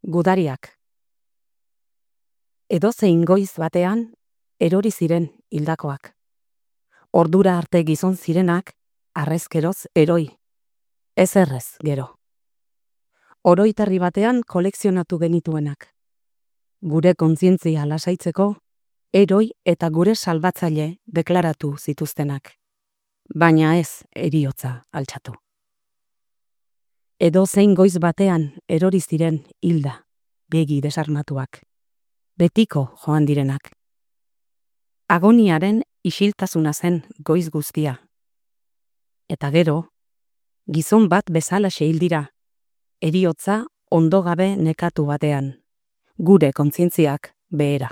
Gudariak. Edozein goiz batean, erori ziren hildakoak. Ordura arte gizon zirenak, harrezkeroz eroi. Ez errez, gero. Oroitarri batean kolekzionatu genituenak. Gure kontzientzia lasaitzeko, eroi eta gure salbatzaile deklaratu zituztenak. Baina ez heriotza altxatu. Edozein goiz batean erori ziren hilda, begi desarmatuak. Betiko joan direnak. Agoniaren isiltasuna zen goiz guztia. Eta gero, gizon bat bezalaxe hil dira, heriotza ondo gabe nekatu batean, gure kontzientziak behera.